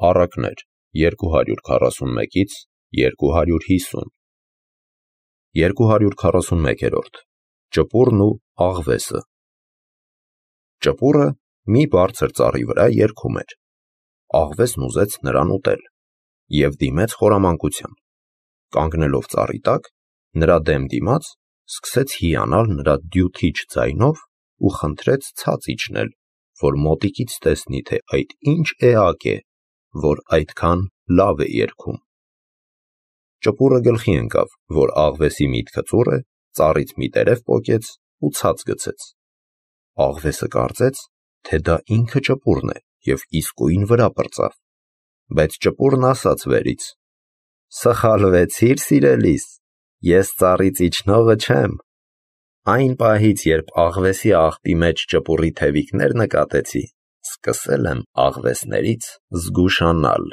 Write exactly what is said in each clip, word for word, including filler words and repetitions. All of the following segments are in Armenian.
Առակներ երկու հարյուր քառասունմեկից երկու հարյուր հիսուն երկու հարյուր քառասունմեկերորդ Ճպուրն ու աղվեսը Ճպուրը մի բարձր ծառի վրա երգում էր, աղվեսն ուզեց նրան ուտել և դիմեց խորամանկության, կանգնելով ծառի տակ, նրա դեմ դիմաց, սկսեց հիանալ նրա դյութիչ ձայնով ու խնդրեց ցած իջնել, որ մոտիկից տեսնի, թե այդ ինչ էակ է, որ այդքան լավ է երգում։ Ճպուրը գլխի ընկավ, որ աղվեսի միտքը ծուռ է, ծառից մի տերև պոկեց ու ցած գցեց։ Աղվեսը կարծեց, թե դա ինքը ճպուրն է և իսկույն վրա պրծավ, բայց ճպուրն ասաց վերից. «Սխալվեցիր, սիրելիս, ես ծառից իջնողը չեմ։ Այն պահից, երբ աղվեսի աղբի մեջ ճպուրի թևիկներ նկատեցի, սկսել եմ աղվեսներից զգուշանալ»։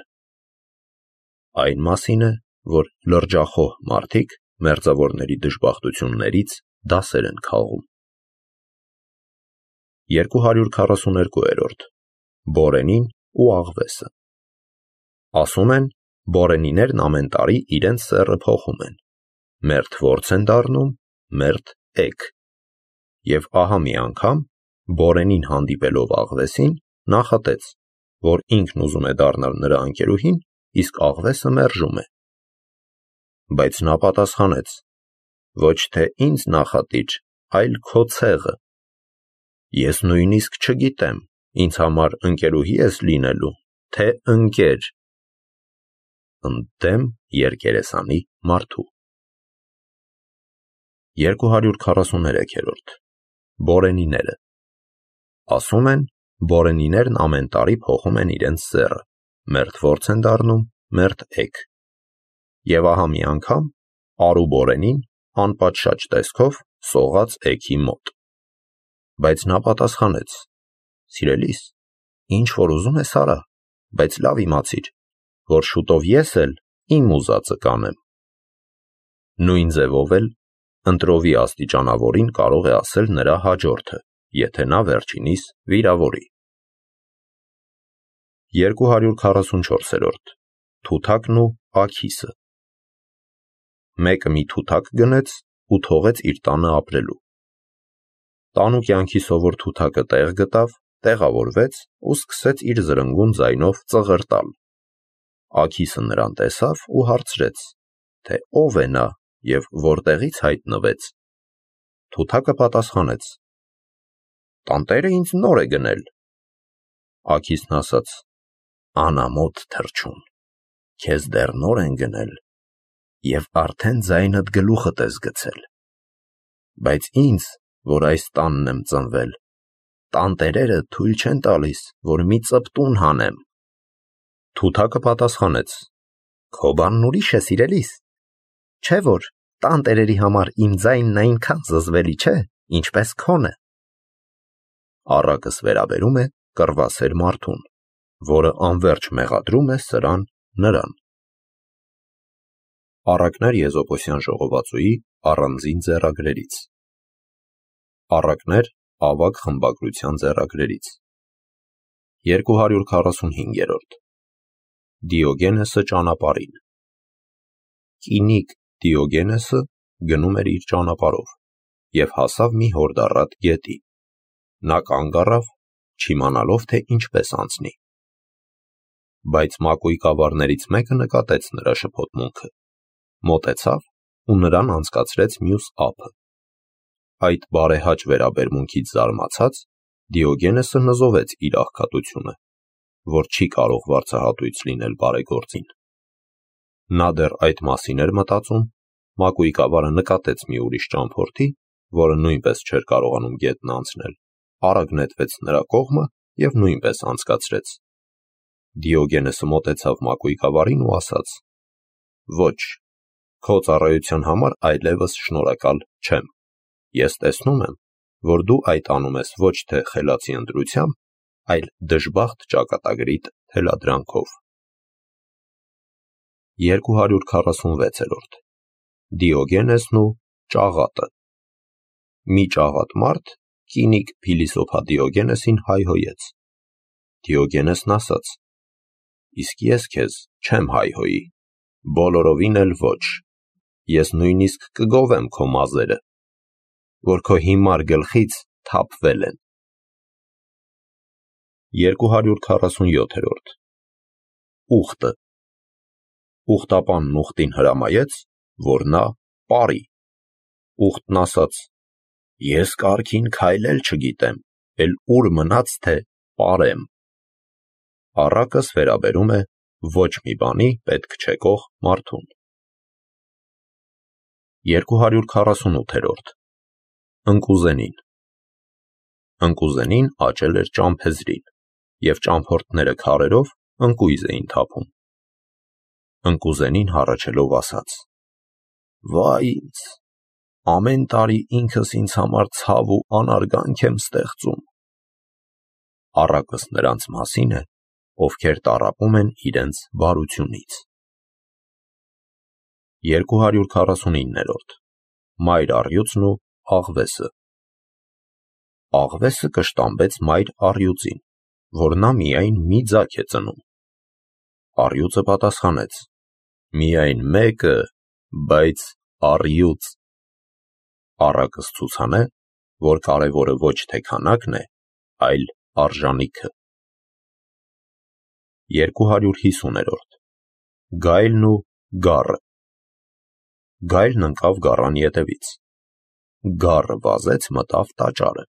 Այն մասին է, որ լրջախոհ մարդիկ մերձավորների դժբախտություններից դասեր են քաղում։ երկու հարյուր քառասուներկուերորդ Բորենին ու աղվեսը Ասում են, բորենիներն ամեն տարի իրենց սեռը փոխում են, մերթ որց են դառնում, մերթ էգ։ Եվ ահա մի անգամ բորենին հանդիպելով աղվեսին նախատեց, որ ինքն ուզում է դառնալ նրա ընկերուհին, իսկ աղվեսը մերժում է։ Բայց նա պատասխանեց. «Ոչ թե ինձ նախատիչ, այլ քո ցեղը։ Ես նույնիսկ չգիտեմ, ինձ համար ընկերուհի ես լինելու, թե ընկեր»։ Ընդդեմ երկերեսանի մարդու երկու հարյուր քառասուներեքերորդ Բորենիները Ասում են, բորենիներն ամեն տարի փոխում են իրենց սեռը, մերթ որց են դառնում, մերթ էգ։ Եվ ահա մի անգամ արու բորենին անպատշաճ տեսքով սողաց էգի մոտ։ Բայց նա պատասխանեց. «Սիրելիս, ինչ որ ուզում ես արա, բայց լավ իմացիր, որ շուտով ես էլ իմ ուզածը կանեմ»։ Նույն ձևով էլ ընտրովի աստիճանավորին կարող է ասել նրա հաջորդը, եթե նա վերջինիս վիրավորի։ երկու հարյուր քառասունչորսերորդ Թութակն ու աքիսը Մեկը մի թութակ գնեց ու թողեց իր տանը ապրելու։ Տանու կյանքի սովոր թութակը տեղ գտավ, տեղավորվեց ու սկսեց իր զրնգուն ձայնով ծղրտալ։ Աքիսը նրան տեսավ ու հարցրեց, թե ով է նա և որտեղից հայտնվեց։ Թութակը պատասխանեց. «Տանտերը ինձ նոր է գնել»։ Աքիսն ասաց. «Անամոթ թռչուն, քեզ դեռ նոր են գնել և արդեն ձայնդ գլուխդ ես գցել։ Բայց ինձ, որ այս տանն եմ ծնվել, տանտերերը թույլ չեն տալիս, որ մի ծպտուն հանեմ»։ Թութակը պատասխանեց. «Քո բանն ուրիշ է, սիրելիս, չէ՞ որ տանտերերի համար իմ ձայնն այնքան զզվելի չէ, ինչպես քոնը»։ Առակս վերաբերում է կռվասեր մարդուն, որը անվերջ մեղադրում է սրան նրան։ Առակներ Եզոպոսյան ժողովածուի առանձին ձեռագրերից Առակներ ավագ խմբագրության ձեռագրերից երկու հարյուր քառասունհինգերորդ Դիոգենեսը ճանապարհին Կինիկ Դիոգենեսը գնում էր իր ճանապարհով և հասավ մի հորդառատ գետի։ Նա կանգ առավ, չիմանալով, թե ինչպես անցնի։ Բայց մակույկավարներից մեկը նկատեց նրա շփոթմունքը, մոտեցավ ու նրան անցկացրեց մյուս ափը։ Այդ բարեհաճ վերաբերմունքից զարմացած, Դիոգենեսը նզովեց իր աղքատությունը, որ չի կարող վարձահատույց լինել բարեգործին։ Նա դեռ այդ մասին էր մտածում, մակույկավարը նկատեց մի ուրիշ ճամփորդի, որը նույնպես չէր կարողանում գետն անցնել, արագ նետվեց նրա կողմը և նույնպես անցկացրեց։ Դիոգենեսը մոտեցավ մակույկավարին ու ասաց. «Ոչ, քո ծառայության համար այլևս շնորհակալ չեմ։ Ես տեսնում եմ, որ դու այդ անում ես ոչ թե խելացի ընտրությամբ, այլ դժբախտ ճակատագրիդ թելադրանքով»։ երկու հարյուր քառասունվեցերորդ Դիոգենեսն ու ճաղատը Մի ճաղատ մարդ կինիկ փիլիսոփա Դիոգենեսին հայհոյեց։ Դիոգենեսն ասաց. իսկ ես քեզ չեմ հայհոյի, բոլորովին էլ ոչ, ես նույնիսկ կգովեմ քո մազերը, որ քո հիմար գլխից թափվել են։ երկու հարյուր քառասունյոթերորդ Ուխտը Ուխտապանն ուխտին հրամայեց, որ նա պարի։ Ուխտն ասաց. ես կարգին քայլել չգիտեմ, էլ ուր մնաց, թե պարեմ։ Առակս վերաբերում է ոչ մի բանի պետք չեկող մարդուն։ երկու հարյուր քառասունութերորդ Ընկուզենին Ընկուզենին աճել էր ճամփեզրին, և ճամփորդները քարերով ընկույզ էին թափում։ Ընկուզենին հառաչելով ասաց. վայ ինձ, ամեն տարի ինքս ինձ համար ցավ ու անարգանք եմ ստեղծում։ Առակս նրանց մասին է, ովքեր տառապում են իրենց բարությունից։ երկու հարյուր քառասունիններորդ Մայր առյուծն ու աղվեսը Աղվեսը կշտամբեց մայր առյուծին, որ նա միայն մի ձագ է ծնում։ Առյուծը պատասխանեց. միայն մեկը, բայց առյուծ։ Առակս ցուցանե, որ կարևորը ոչ թե քանակն է, այլ արժանիքը։ երկու հարյուր հիսուներորդ Գայլն ու գառը Գայլն ընկավ գառան ետևից։ Գառը վազեց մտավ տաճարը։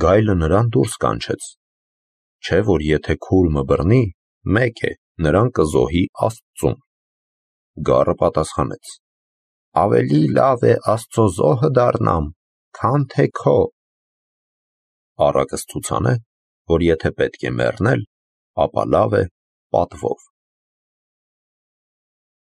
Գայլը նրան դուրս կանչեց, չէ՞ որ եթե քուրմը բռնի, մեկ է, նրան կզոհի Աստծուն։ Գառը պատասխանեց. ավելի լավ է Աստծո զոհը դառնամ, քան թե քո։ Առակս ցուցանե, որ եթե պետք է մեռնել, ապա լավ է պատվով։